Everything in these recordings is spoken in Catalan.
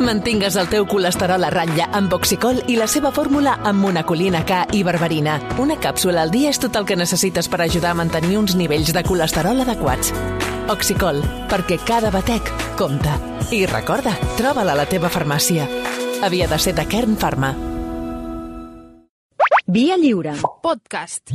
Mantingues el teu colesterol a ratlla amb Oxicol i la seva fórmula amb monacolina K i berberina. Una càpsula al dia és tot el que necessites per ajudar a mantenir uns nivells de colesterol adequats. Oxicol, perquè cada batec compta. I recorda, troba-la a la teva farmàcia. Havia de ser de Kern Pharma. Via Lliure. Podcast.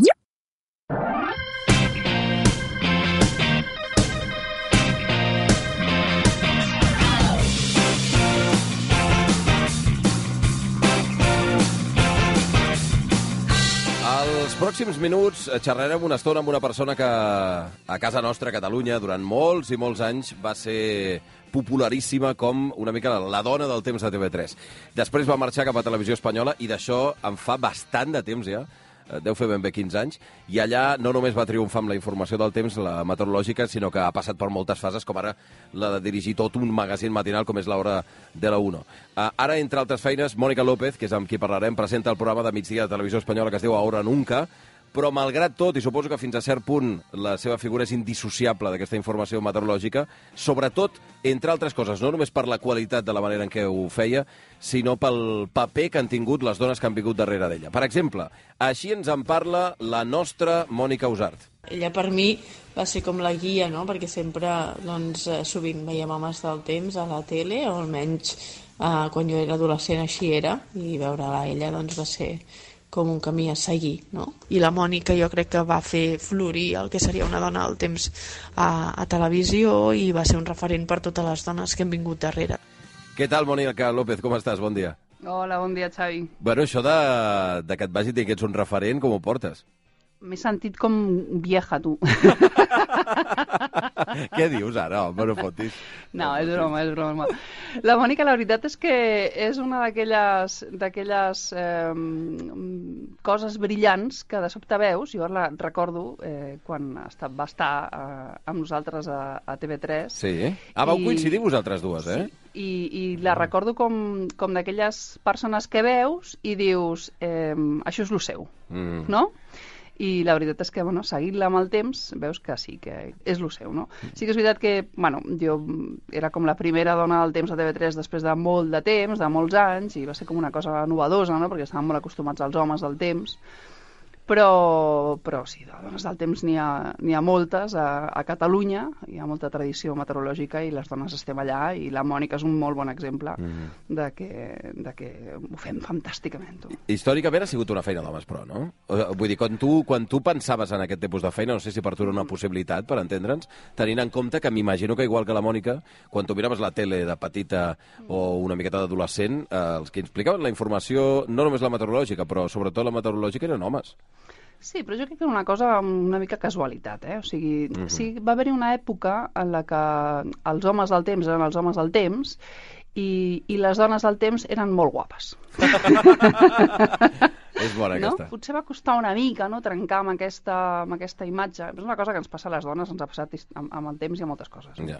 Els pròxims minuts xerrarem una estona amb una persona que a casa nostra, a Catalunya, durant molts i molts anys va ser popularíssima com una mica la dona del temps de TV3. Després va marxar cap a Televisió Espanyola i d'això en fa bastant de temps ja, deu fer ben bé 15 anys, i allà no només va triomfar amb la informació del temps, la meteorològica, sinó que ha passat per moltes fases, com ara la de dirigir tot un magazín matinal com és l'Hora de la 1. Ara, entre altres feines, Mònica López, que és amb qui parlarem, presenta el programa de migdia de Televisió Espanyola que es diu Ahora Nunca, però malgrat tot, i suposo que fins a cert punt la seva figura és indissociable d'aquesta informació meteorològica, sobretot, entre altres coses, no només per la qualitat de la manera en què ho feia, sinó pel paper que han tingut les dones que han vingut darrere d'ella. Per exemple, així ens en parla la nostra Mònica Usart. Ella per mi va ser com la guia, no? Perquè sempre, doncs, sovint veiem homes del temps a la tele, o almenys quan jo era adolescent així era, i veure-la a ella doncs, va ser com un camí a seguir, no? I la Mònica jo crec que va fer florir el que seria una dona del temps a televisió i va ser un referent per totes les dones que han vingut darrere. Què tal, Mònica López? Com estàs? Bon dia. Hola, bon dia, Xavi. Bueno, això de que et vagi dir que ets un referent, com ho portes? M'he sentit com vieja, tu. Què dius ara? Home, no fotis. No, és broma. La Mònica, la veritat és que és una d'aquelles coses brillants que de sobte veus. Jo la recordo quan va estar amb nosaltres a TV3. Sí? Vau coincidir vosaltres dues, eh? Sí. I la recordo com d'aquelles persones que veus i dius, això és lo seu, no? I la veritat és que, bueno, seguint-la amb el temps, veus que sí, que és lo seu, no? Sí que és veritat que, bueno, jo era com la primera dona del temps a TV3 després de molt de temps, de molts anys, i va ser com una cosa novedosa, no?, perquè estàvem molt acostumats als homes del temps, però sí, de dones del temps n'hi ha moltes a Catalunya, hi ha molta tradició meteorològica i les dones estem allà, i la Mònica és un molt bon exemple de que ho fem fantàsticament. Tu. Històricament ha sigut una feina d'homes, però, no? Vull dir, quan tu pensaves en aquest tipus de feina, no sé si per tu era una possibilitat, per entendre'ns, tenint en compte que m'imagino que igual que la Mònica, quan tu miraves la tele de petita o una miqueta d'adolescent, els que explicaven la informació, no només la meteorològica, però sobretot la meteorològica eren homes. Sí, però jo crec que era una cosa una mica casualitat, eh? O sigui, sí, va haver-hi una època en la que els homes del temps eren els homes del temps i les dones del temps eren molt guapes. És bona aquesta. No? Potser va costar una mica, no?, trencar amb aquesta imatge. És una cosa que ens passa a les dones, ens ha passat amb el temps i a moltes coses. Ja.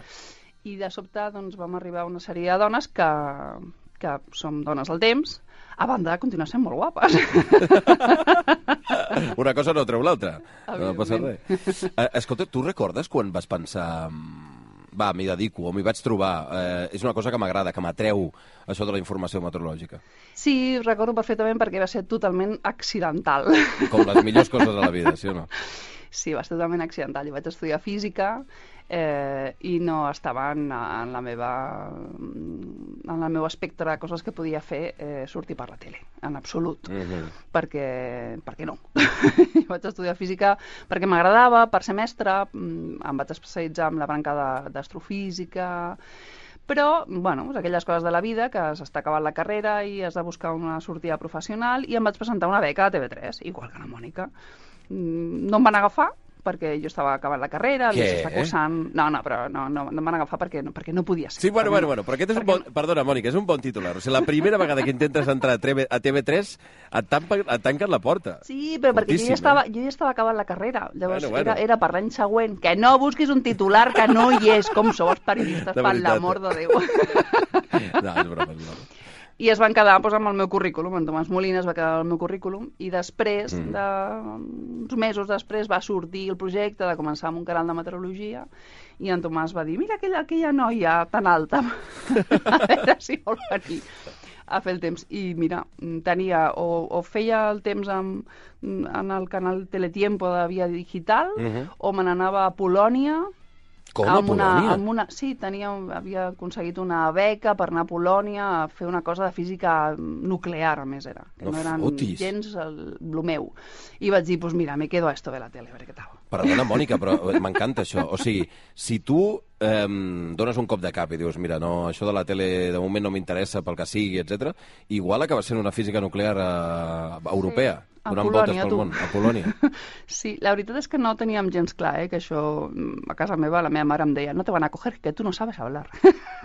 I de sobte doncs, vam arribar a una sèrie de dones que som dones del temps, a banda de continuar sent molt guapes. Una cosa no treu l'altra. No passa res. Escolta, tu recordes quan vas pensar m'hi dedico o m'hi vaig trobar? És una cosa que m'agrada, que m'atreu això de la informació meteorològica. Sí, recordo perfectament perquè va ser totalment accidental. Com les millors coses de la vida, sí o no? Sí, va ser totalment accidental. Jo vaig estudiar física i no estava en el meu espectre de coses que podia fer sortir per la tele, en absolut. Perquè no. Vaig estudiar física perquè m'agradava, per ser mestra, em vaig especialitzar en la branca d'astrofísica, però, bueno, aquelles coses de la vida que s'està acabant la carrera i has de buscar una sortida professional, i em vaig presentar una beca a TV3, igual que la Mònica. No em van agafar perquè jo estava acabant la carrera, l'estava cursant... No, però no em van agafar perquè no podia ser. Sí, bueno, però aquest és un bon... Perdona, Mònica, és un bon titular. O sigui, la primera vegada que intentes entrar a TV3 et tanquen la porta. Sí, però perquè jo ja estava acabant la carrera. Llavors era per l'any següent. Que no busquis un titular que no hi és. Com sou els periodistes, per l'amor de Déu. No, és broma. I es van quedar amb el meu currículum, en Tomàs Molina es va quedar amb el meu currículum, i després, uns mesos després, va sortir el projecte de començar amb un canal de meteorologia, i en Tomàs va dir, mira aquella noia tan alta, a veure si vol venir a fer el temps. I mira, tenia, o feia el temps en el canal Teletiempo de Via Digital, o me n'anava a Polònia. Com, a Polònia? Sí, havia aconseguit una beca per anar a Polònia a fer una cosa de física nuclear, a més era. Que no eren gens el meu. I vaig dir, pues mira, me quedo a esto de la tele, a veure què tal. Perdona, Mònica, però m'encanta això. O sigui, si tu dones un cop de cap i dius, mira, no, això de la tele de moment no m'interessa pel que sigui, etc., igual acaba sent una física nuclear europea. A donant Polònia, voltes pel món, a Polònia. Sí, la veritat és que no teníem gens clar, que això, a casa meva, la meva mare em deia, no te van a coger, que tu no sabes hablar.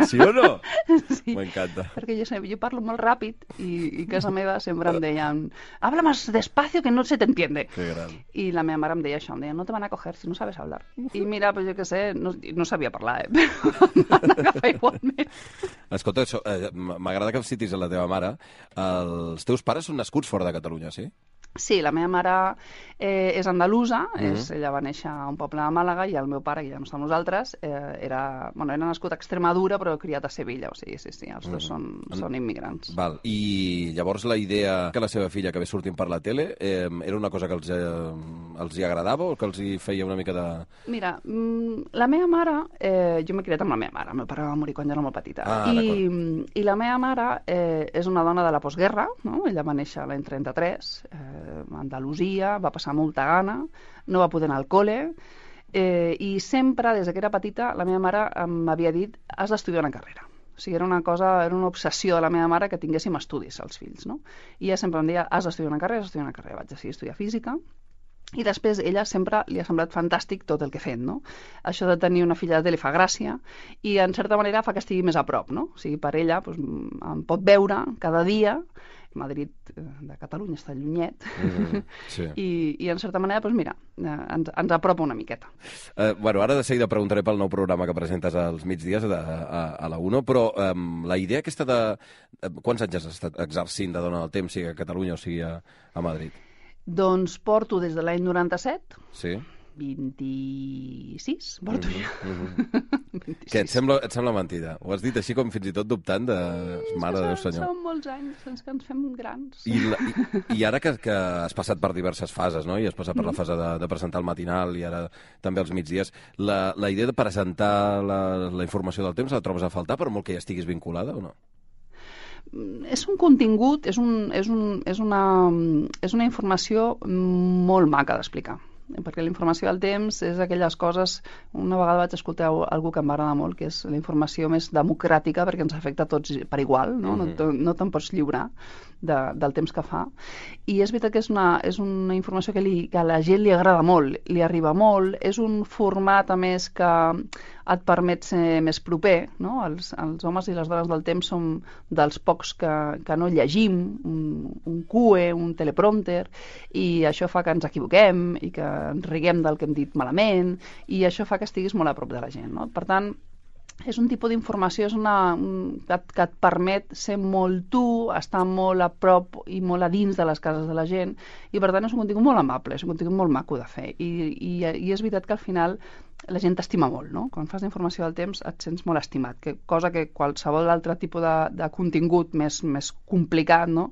Sí o no? Sí, m'encanta. Perquè jo parlo molt ràpid i a casa meva sempre em deien, habla más despacio que no se te entiende. Que gran. I la meva mare em deia això, em deia, no te van a coger si no sabes hablar. I mira, pues jo què sé, no sabia parlar, però em van agafar igualment. Escolta, m'agrada que em citis a la teva mare. Els teus pares són nascuts fora de Catalunya, sí? Sí, la meva mare és andalusa, ella va néixer a un poble de Màlaga, i el meu pare, que ja no està amb nosaltres, era nascut a Extremadura però criat a Sevilla, o sigui, sí, els dos són immigrants. Val. I llavors la idea que la seva filla acabés sortint per la tele era una cosa que els hi agradava o que els hi feia una mica de... Mira, la meva mare, jo m'he criat amb la meva mare, el meu pare va morir quan jo era molt petita, i la meva mare és una dona de la postguerra, no? Ella va néixer l'any 33, Andalusia, va passar molta gana, no va poder anar al col·le, i sempre, des que era petita, la meva mare m'havia dit, has d'estudiar una carrera. O sigui, era una obsessió de la meva mare que tinguéssim estudis als fills, no? I ella sempre em deia, has d'estudiar una carrera, Vaig decidir estudiar física, i després ella sempre li ha semblat fantàstic tot el que he fet, no? Això de tenir una filla de tele fa gràcia, i en certa manera fa que estigui més a prop, no? O sigui, per ella em pot veure cada dia. Madrid de Catalunya està llunyet, sí. I en certa manera, mira, ens apropa una miqueta. Bueno, ara de seguida preguntaré pel nou programa que presentes als migdies a la 1, però la idea aquesta de... Quants anys has estat exercint de dona del temps, sigui a Catalunya o sigui a Madrid? Doncs porto des de l'any 97. Sí. 26, porto ja. 26. Què, et sembla mentida? Ho has dit així com fins i tot dubtant de... Mare de Déu senyor. Són molts anys, que ens fem grans. I ara que has passat per diverses fases, no? I has passat per la fase de presentar el matinal i ara també els migdies, la idea de presentar la informació del temps la trobes a faltar, per molt que hi estiguis vinculada o no? És un contingut, és una informació molt maca d'explicar, perquè la informació del temps és aquelles coses... Una vegada vaig escoltar algú que m'agrada molt, que és la informació més democràtica, perquè ens afecta a tots per igual, no? No te'n pots lliurar del temps que fa. I és veritat que és una informació que a la gent li agrada molt, li arriba molt, és un format, a més, que et permet ser més proper, no? Els homes i les dones del temps som dels pocs que no llegim un QE, un teleprompter, i això fa que ens equivoquem i que ens riguem del que hem dit malament, i això fa que estiguis molt a prop de la gent, no? Per tant, és un tipus d'informació que et permet ser molt tu, estar molt a prop i molt a dins de les cases de la gent, i per tant és un contingut molt amable, és un contingut molt maco de fer, i és veritat que al final la gent t'estima molt, no? Quan fas d'informació del temps et sents molt estimat, cosa que qualsevol altre tipus de contingut més complicat, no?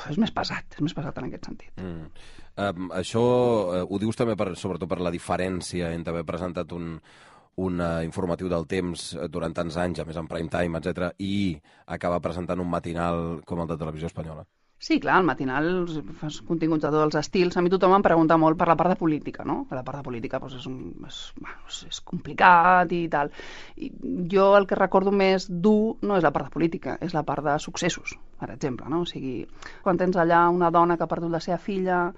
És més pesat en aquest sentit. Això ho dius també sobretot per la diferència entre haver presentat un informatiu del temps durant tants anys, a més en prime time, etc., i acabar presentant un matinal com el de Televisió Espanyola. Sí, clar, el matinal fas continguts de tots els estils. A mi tothom em pregunta molt per la part de política, no? La part de política és complicat i tal. I jo el que recordo més dur no és la part de política, és la part de successos, per exemple, no? O sigui, quan tens allà una dona que ha perdut la seva filla,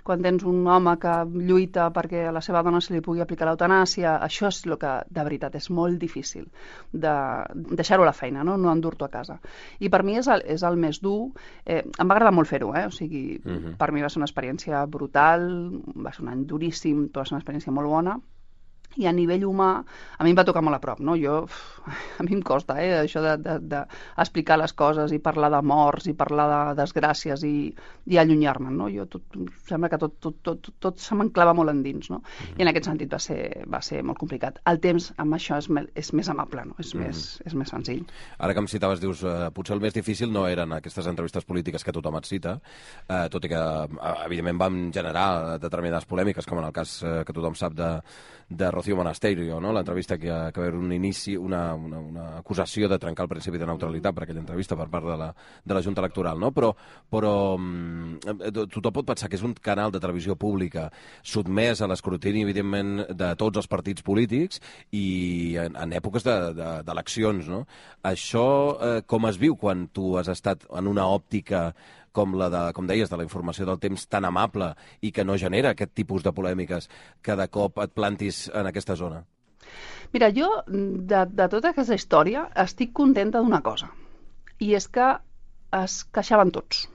quan tens un home que lluita perquè a la seva dona se li pugui aplicar l'eutanàsia, això és el que, de veritat, és molt difícil de deixar-ho a la feina, no endur-t'ho a casa. I per mi és el més dur. Em va agradar molt fer-ho, o sigui, per mi va ser una experiència brutal, va ser un any duríssim, però va ser una experiència molt bona. i a nivell humà, a mi em va tocar molt a prop, no? A mi em costa, això d'explicar les coses i parlar de morts i parlar de desgràcies i allunyar-me'n, no? Sembla que tot se m'enclava molt endins, no? I en aquest sentit va ser molt complicat. El temps amb això és més amable, no? És més senzill. Ara que em citaves, dius, potser el més difícil no eren aquestes entrevistes polítiques que tothom et cita, tot i que, evidentment, van generar determinades polèmiques, com en el cas que tothom sap de Rocío Monasterio, no? L'entrevista que va haver un inici, una acusació de trencar el principi de neutralitat per aquella entrevista per part de la Junta Electoral, no? Però tothom pot pensar que és un canal de televisió pública sotmès a l'escrutini, evidentment, de tots els partits polítics i en èpoques d'eleccions, no? Això com es viu quan tu has estat en una òptica com deies, de la informació del temps tan amable i que no genera aquest tipus de polèmiques que de cop et plantis en aquesta zona? Mira, jo, de tota aquesta història, estic contenta d'una cosa, i és que es queixaven tots.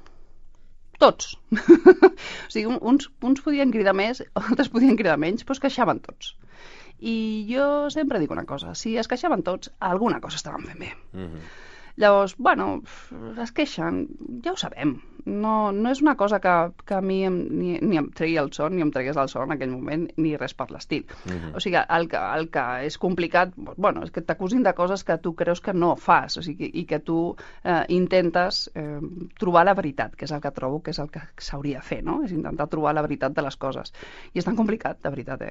Tots. O sigui, uns podien cridar més, altres podien cridar menys, però es queixaven tots. I jo sempre dic una cosa, si es queixaven tots, alguna cosa estaven fent bé. Llavors, bueno, es queixen, ja ho sabem. No és una cosa que a mi ni em tregui el son, ni em tregués el son en aquell moment, ni res per l'estil. O sigui, el que és complicat, bueno, és que t'acusin de coses que tu creus que no fas, o sigui, i que tu intentes trobar la veritat, que és el que trobo que és el que s'hauria de fer, no? És intentar trobar la veritat de les coses. I és tan complicat, de veritat,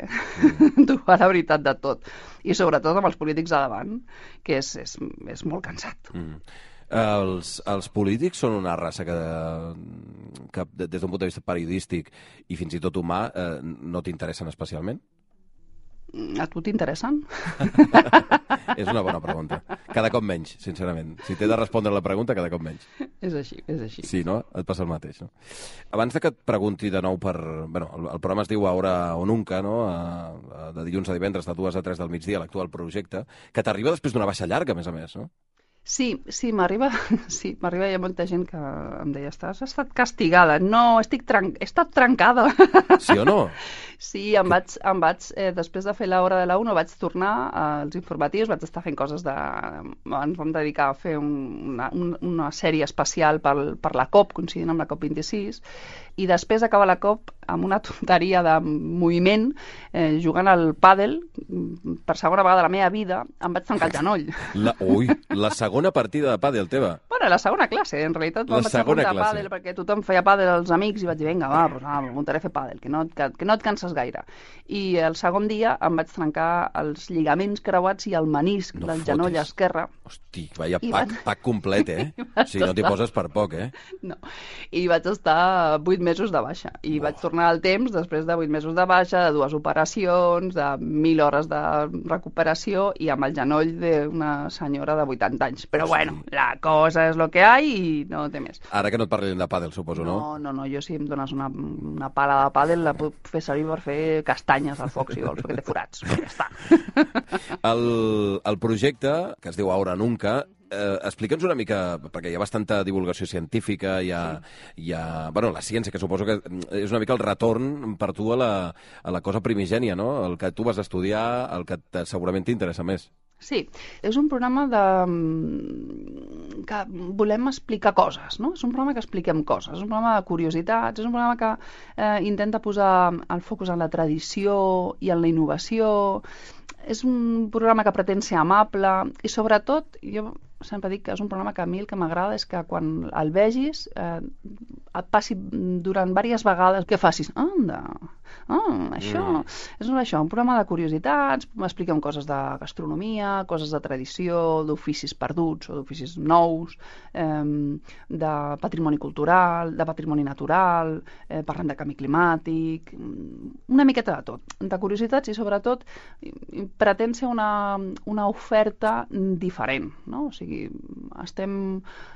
trobar la veritat de tot. I sobretot amb els polítics a davant, que és molt cansat. Els polítics són una raça que des d'un punt de vista periodístic i fins i tot humà no t'interessen especialment? A tu t'interessen? És una bona pregunta. Cada cop menys, sincerament. Si t'he de respondre la pregunta, cada cop menys. És així. Sí, no? Et passa el mateix, no? Abans de que et pregunti de nou per... Bueno, el programa es diu Ahora o Nunca, no? De dilluns a divendres, de 2 a 3 del migdia, l'actual projecte, que t'arriba després d'una baixa llarga, a més, no? Sí, m'arriba, hi ha molta gent que em deia, has estat castigada. No, he estat trencada. Sí o no? Sí, em vaig després de fer l'hora de la 1, vaig tornar als informatius, vaig estar fent coses ens vam dedicar a fer una sèrie especial per la COP, coincidint amb la COP26, i després d'acabar la COP, amb una tonteria de moviment, jugant al pàdel, per segona vegada de la meva vida, em vaig trencar el genoll. La segona partida de pàdel teva? Bueno, la segona classe, en realitat em vaig apuntar a pàdel perquè tothom feia pàdel als amics i vaig dir, vinga, m'apuntaré a fer pàdel, que no et canses gaire. I el segon dia em vaig trencar els lligaments creuats i el menisc del genoll esquerre. Hosti, vaya pack complet, O sigui, no t'hi poses per poc, No. I vaig estar 8 mesos de baixa. I vaig tornar al temps després de 8 mesos de baixa, de 2 operacions, de 1.000 hores de recuperació i amb el genoll d'una senyora de 80 anys. Però bueno, la cosa és lo que hi i no té més. Ara que no et parlin de pàdel, suposo, no? No, jo si em dones una pala de pàdel la puc fer servir per fer castanyes al foc, si vols, perquè té forats. Ja està. El projecte, que es diu Ahora Nunca, explica'ns una mica, perquè hi ha bastanta divulgació científica, bueno, la ciència, que suposo que és una mica el retorn per tu a la cosa primigènia, no? El que tu vas estudiar, el que segurament t'interessa més. Sí, és un programa que volem explicar coses, no? És un programa que expliquem coses, és un programa de curiositats, és un programa que intenta posar el focus en la tradició i en la innovació, és un programa que pretén ser amable i sobretot, jo sempre dic que és un programa que a mi el que m'agrada és que quan el vegis et passi durant diverses vegades que facis, això és això, un programa de curiositats, expliquem coses de gastronomia, coses de tradició, d'oficis perduts o d'oficis nous, de patrimoni cultural, de patrimoni natural, parlem de canvi climàtic, una miqueta de tot, de curiositats i sobretot pretén ser una oferta diferent, no? O sigui,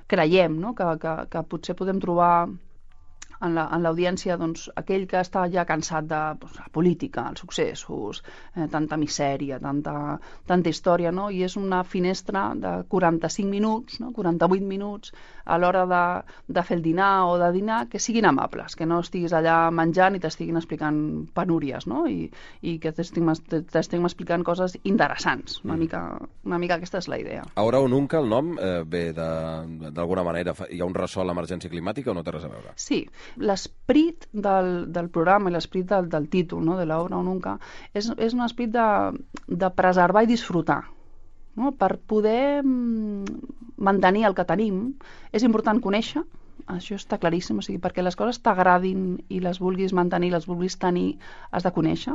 creiem, no? que potser podem trobar en l'audiència doncs, aquell que està ja cansat de la política, els successos, tanta misèria, tanta història, no? I és una finestra de 45 minuts, no? 48 minuts a l'hora de fer el dinar o de dinar, que siguin amables, que no estiguis allà menjant i t'estiguin explicant penúries, no? I que t'estiguin explicant coses interessants. Una mica aquesta és la idea. Ahora o nunca, el nom, ve d'alguna manera, hi ha un ressò a l'emergència climàtica o no té res a veure? Sí, l'esperit del programa i l'esperit del títol, no? de l'Ahora o nunca, és un esperit de preservar i disfrutar. No? Per poder mantenir el que tenim, és important conèixer, això està claríssim, o sigui, perquè les coses t'agradin i les vulguis mantenir, les vulguis tenir, has de conèixer,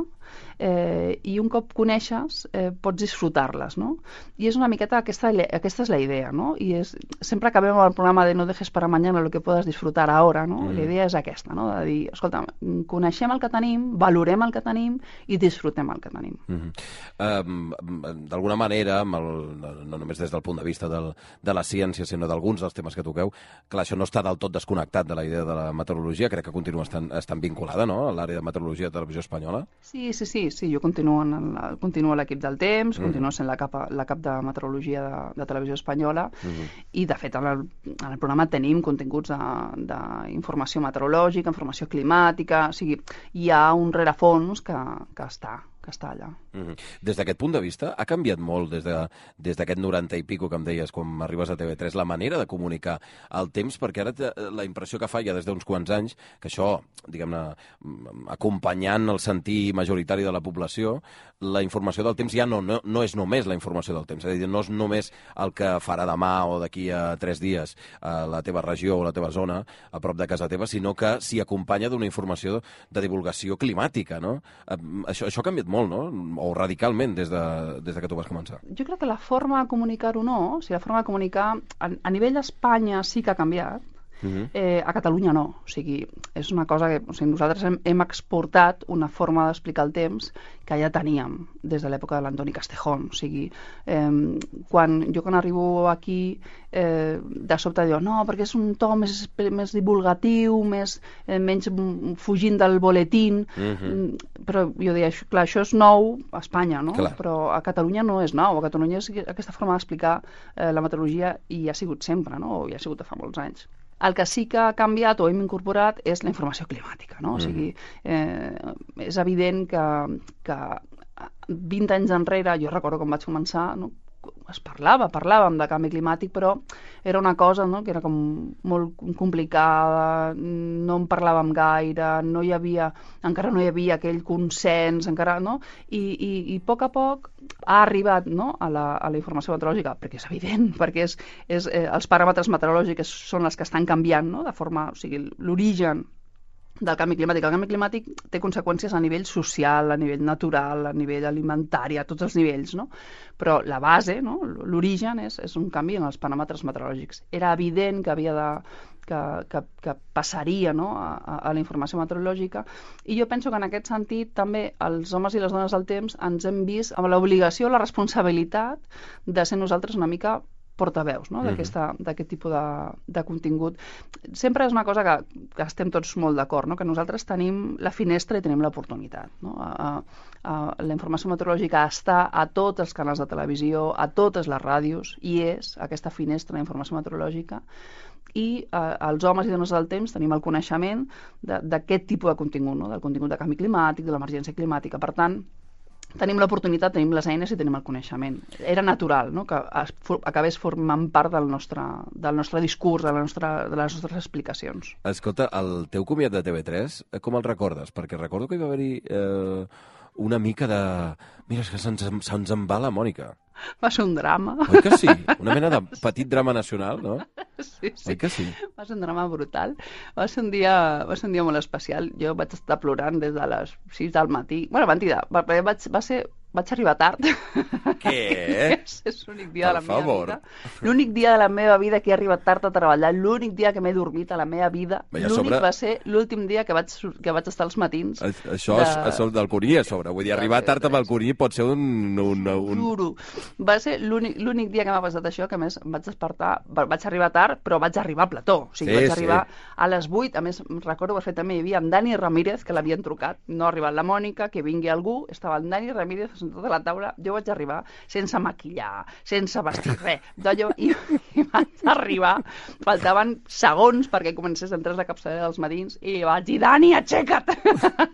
i un cop coneixes pots disfrutar-les, no? I és una miqueta, aquesta és la idea, no? I sempre acabem amb el programa de no dejes para mañana lo que puedas disfrutar ahora, no? La idea és aquesta, no? De dir, escolta, coneixem el que tenim, valorem el que tenim i disfrutem el que tenim. D'alguna manera, no només des del punt de vista de la ciència, sinó d'alguns dels temes que toqueu, clar, això no està del tot desconnectat de la idea de la meteorologia, crec que continua estant vinculada, no?, a l'àrea de meteorologia de Televisió Espanyola. Sí, jo continuo a l'equip del temps, continuo sent la cap de meteorologia de Televisió Espanyola, i de fet en el programa tenim continguts d'informació meteorològica, informació climàtica, o sigui, hi ha un rerefons que està allà. Des d'aquest punt de vista, ha canviat molt des d'aquest 90 i pico que em deies quan arribes a TV3, la manera de comunicar el temps, perquè ara la impressió que fa ja des d'uns quants anys, que això, diguem-ne, acompanyant el sentir majoritari de la població, la informació del temps ja no és només la informació del temps, és a dir, no és només el que farà demà o d'aquí a 3 dies a la teva regió o la teva zona, a prop de casa teva, sinó que s'hi acompanya d'una informació de divulgació climàtica, no? Això ha canviat molt, no?, o radicalment des que tu vas començar. Jo crec que la forma de comunicar-ho no, o sigui, la forma de comunicar a nivell d'Espanya sí que ha canviat, a Catalunya no. O sigui, és una cosa que nosaltres hem exportat una forma d'explicar el temps que ja teníem des de l'època de l'Antoni Castejón. O sigui, quan arribo aquí, de sobte diu, no, perquè és un to més divulgatiu, menys fugint del boletín, però jo deia, clar, això és nou a Espanya, no? Clar. Però a Catalunya no és nou, a Catalunya aquesta forma d'explicar la meteorologia hi ha sigut sempre, no? O hi ha sigut de fa molts anys. El que sí que ha canviat o hem incorporat és la informació climàtica, no? O sigui, és evident que 20 anys enrere, jo recordo quan vaig començar, no? Parlàvem de canvi climàtic, però era una cosa, no?, que era com molt complicada, no en parlàvem gaire, encara no hi havia aquell consens, encara, no? I a poc ha arribat, no?, a la informació meteorològica, perquè és evident, perquè els paràmetres meteorològics són els que estan canviant, no?, de forma, o sigui, l'origen del canvi climàtic. El canvi climàtic té conseqüències a nivell social, a nivell natural, a nivell alimentari, a tots els nivells, no? Però la base, no?, l'origen és un canvi en els paràmetres meteorològics. Era evident que passaria, no?, a la informació meteorològica, i jo penso que en aquest sentit també els homes i les dones del temps ens hem vist amb l'obligació, la responsabilitat de ser nosaltres una mica portaveus, no?, d'aquest tipus de contingut. Sempre és una cosa que estem tots molt d'acord, no?, que nosaltres tenim la finestra i tenim l'oportunitat, no? La informació meteorològica està a tots els canals de televisió, a totes les ràdios, i és aquesta finestra d'informació meteorològica, i els homes i dones del temps tenim el coneixement d'aquest tipus de contingut, no?, del contingut de canvi climàtic, de l'emergència climàtica. Per tant, tenim l'oportunitat, tenim les eines i tenim el coneixement. Era natural, no?, que acabés formant part del nostre discurs, de les nostres explicacions. Escolta, el teu comiat de TV3, com el recordes? Perquè recordo que hi va haver una mica de... Mira, és que se'ns en va la Mònica. Va ser un drama. Oi que sí? Una mena de petit drama nacional, no? Sí. Oi que sí? Va ser un drama brutal. Va ser un dia molt especial. Jo vaig estar plorant des de les 6 del matí. Bueno, mentida, va ser Vaig arribar tard. Què? És l'únic dia de la meva vida. L'únic dia de la meva vida que he arribat tard a treballar, l'únic dia que m'he dormit a la meva vida, l'únic va ser l'últim dia que vaig estar als matins. Això del Cuní a sobre. Vull dir, arribar tard amb el Cuní pot ser un... Juro. Va ser l'únic dia que m'ha passat això, que a més vaig despertar, vaig arribar tard, però vaig arribar a plató. O sigui, vaig arribar a les 8, a més, recordo perfectament, hi havia en Dani Ramírez, que l'havien trucat, no ha arribat la Mònica, que vingui algú, estava en Dani Ramírez sentat a la taula, jo vaig arribar sense maquillar, sense vestir res, i vaig arribar, faltaven segons perquè comencés a entrar la capçalera dels matins, i vaig dir, Dani, aixeca't!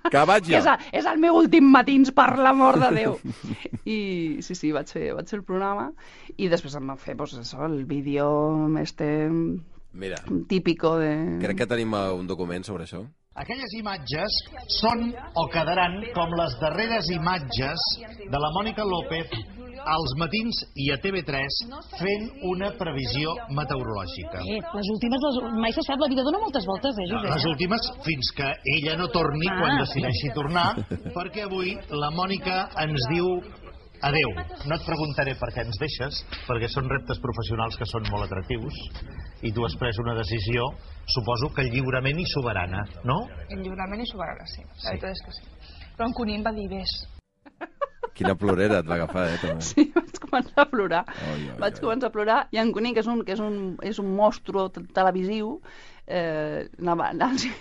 Que vaig jo! És el meu últim matins, per l'amor de Déu! I sí, vaig fer el programa, i després em van fer, el vídeo típico de... Crec que tenim un document sobre això. Aquelles imatges són o quedaran com les darreres imatges de la Mònica López als matins i a TV3 fent una previsió meteorològica. Les últimes, mai se sap, la vida dona moltes voltes, Josep? Les últimes fins que ella no torni quan decideixi tornar, perquè avui la Mònica ens diu adeu. No et preguntaré per què ens deixes, perquè són reptes professionals que són molt atractius i tu has pres una decisió, suposo que lliurement i soberana, no? Lliurement i soberana, sí. La veritat és que sí. Però en Cuní em va dir, ves. Quina plorera et va agafar, també. Sí, vaig començar a plorar. Vaig començar a plorar i en Cuní, que és un monstru televisiu, anava a dir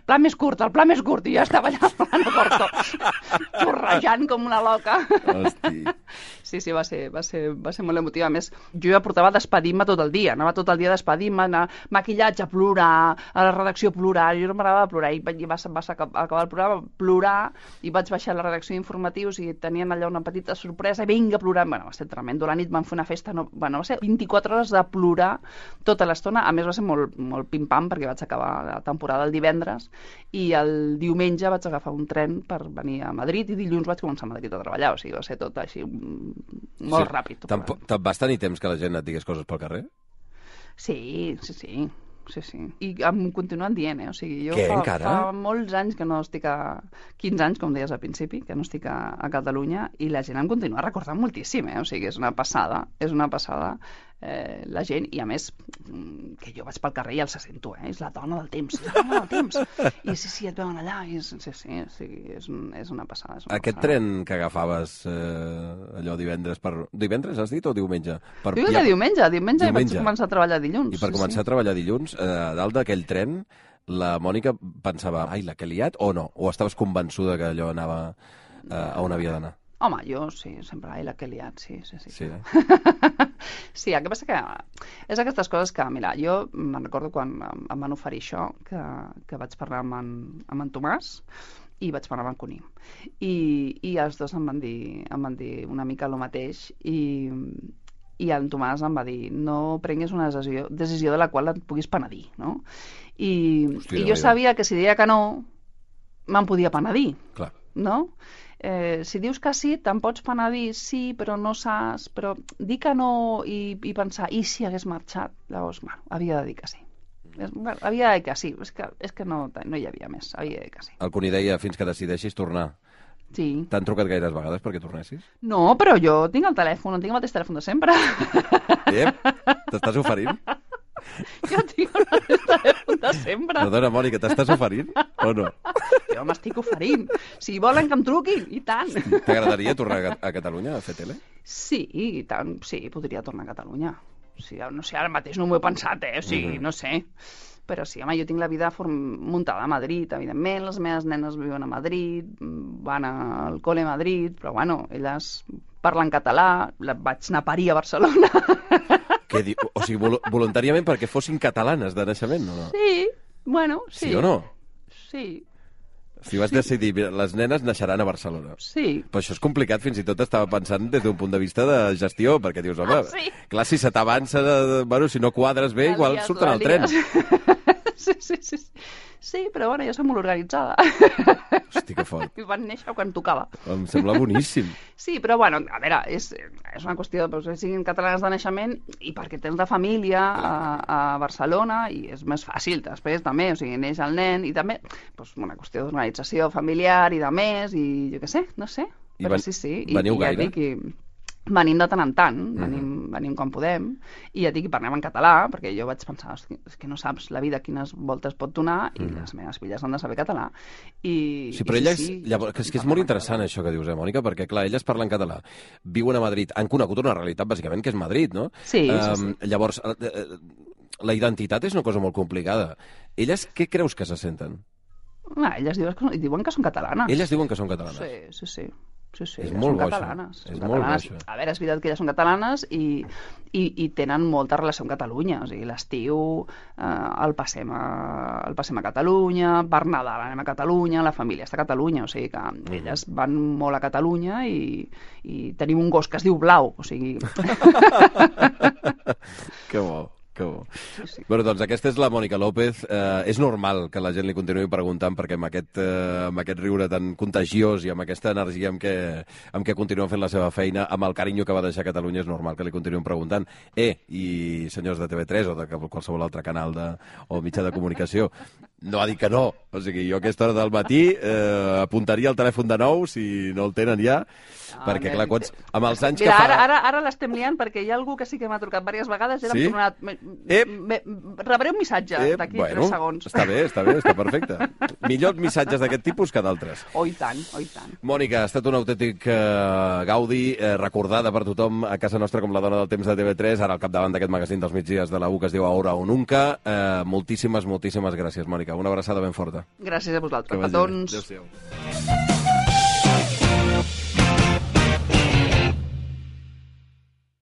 pla més curt, i ja estava allà plano corto, torrejant com una loca. Hosti. Sí, va ser molt emotiva. A més, jo ja portava despedint-me tot el dia, anava tot el dia despedint-me, anar maquillatge, plorar, a la redacció plorar, jo no m'agradava plorar, i va acabar el programa, plorar, i vaig baixar a la redacció d'informatius i tenien allà una petita sorpresa, i vinga, plorant, va ser tremendo, la nit vam fer una festa, va ser 24 hores de plorar tota l'estona, a més va ser molt pim-pam, perquè vaig acabar la temporada el divendres, i el diumenge vaig agafar un tren per venir a Madrid, i dilluns vaig començar a Madrid a treballar, o sigui, va ser tot així molt ràpid. Vas tenir temps que la gent et digués coses pel carrer? Sí. I em continuen dient, o sigui, jo fa molts anys que no estic 15 anys, com deies al principi, que no estic a Catalunya, i la gent em continua recordant moltíssim, o sigui, és una passada la gent, i a més que jo vaig pel carrer i els sento, és la dona del temps, i sí, et veuen allà, i és una passada. Aquest tren que agafaves allò divendres has dit, o diumenge? Diumenge vaig començar a treballar dilluns. I per començar a treballar dilluns, a dalt d'aquell tren, la Mònica pensava, ai, la que he liat, o no? O estaves convençuda que allò anava a on havia d'anar? Home, jo sí, sempre, ai, la que he liat, sí. Sí, Sí, el que passa que és aquestes coses que, mira, jo me'n recordo quan em van oferir això, que vaig parlar amb en Tomàs i vaig parlar amb en Cuní. I els dos em van dir una mica el mateix, i en Tomàs em va dir, no prenguis una decisió de la qual et puguis penedir, no? I jo sabia que si deia que no, me'n podia penedir, no? Si dius que sí, te'n pots penedir, sí, però no saps, però dir que no i pensar, i si hagués marxat, llavors, havia de dir que sí. Havia de dir que sí, és que no hi havia més, havia de dir que sí. El Cuní deia, fins que decideixis tornar. Sí. T'han trucat gaires vegades perquè tornessis? No, però jo tinc el telèfon, tinc el mateix telèfon de sempre. T'estàs oferint? Jo tinc el mateix telèfon de sempre. Perdona, Mònica, t'estàs oferint o no? Jo m'estic oferint. Si volen que em truquin, i tant. T'agradaria tornar a Catalunya a fer tele? Sí, i tant. Sí, podria tornar a Catalunya. Sí, no sé, ara mateix no m'ho he pensat, o sigui, no sé. Però sí, home, jo tinc la vida muntada a Madrid, evidentment, les meves nenes viuen a Madrid, van al col·le a Madrid, però bueno, elles parlen català, vaig anar a parir a Barcelona. O sigui, voluntàriament perquè fossin catalanes de naixement, o no? Sí, bueno, sí. Sí o no? Sí. Si vas decidir, les nenes naixeran a Barcelona. Sí. Però això és complicat, fins i tot estava pensant des d'un punt de vista de gestió, perquè dius, home, clar, si se t'avança, bueno, si no quadres bé, igual surten al tren. Sí, però bueno, jo soc molt organitzada. Hosti, que fort. I van néixer quan tocava. Em sembla boníssim. Sí, però bueno, a veure, és una qüestió que siguin catalanes de naixement i perquè tens de família a Barcelona i és més fàcil després també, o sigui, neix el nen i també una qüestió d'organització familiar i de més i jo què sé, no sé. Però sí, Veniu gaire? Venim de tant en tant, venim quan podem, i ja dic, parlem en català, perquè jo vaig pensar, és que no saps la vida quines voltes pot donar, i les meves filles han de saber català. Sí, però elles, llavors, és que és molt interessant això que dius, Mònica, perquè, clar, elles parlen català, viuen a Madrid, han conegut una realitat, bàsicament, que és Madrid, no? Sí. Llavors, la identitat és una cosa molt complicada. Elles què creus que se senten? Elles diuen que són catalanes. Elles diuen que són catalanes? Sí. És molt bo, això. A veure, és veritat que elles són catalanes i tenen molta relació amb Catalunya. O sigui, l'estiu el passem a Catalunya, per Nadal anem a Catalunya, la família està a Catalunya, o sigui que elles van molt a Catalunya i tenim un gos que es diu Blau, o sigui... Que bo. Sí. Bueno, doncs aquesta és la Mònica López. És normal que la gent li continuï preguntant perquè amb aquest riure tan contagiós i amb aquesta energia amb què continua fent la seva feina, amb el carinyo que va deixar Catalunya, és normal que li continuïn preguntant. I senyors de TV3 o de qualsevol altre canal o mitjà de comunicació, no ha dit que no. O sigui, jo a aquesta hora del matí apuntaria el telèfon de nou si no el tenen ja, perquè clar, amb els anys que fa... Ara l'estem liant perquè hi ha algú que sí que m'ha trucat diverses vegades i ara sí? m'ha tornat... Rebré un missatge d'aquí 3 segons. Està bé, està perfecte. Millors missatges d'aquest tipus que d'altres. Oh, i tant. Mònica, ha estat un autèntic gaudi, recordada per tothom a casa nostra com la dona del temps de TV3, ara al capdavant d'aquest magazín dels migdies de la U que es diu Ahora o Nunca. Moltíssimes gràcies, Mònica. Una abraçada ben forta. Gràcies a vosaltres, petons. Adéu-siau.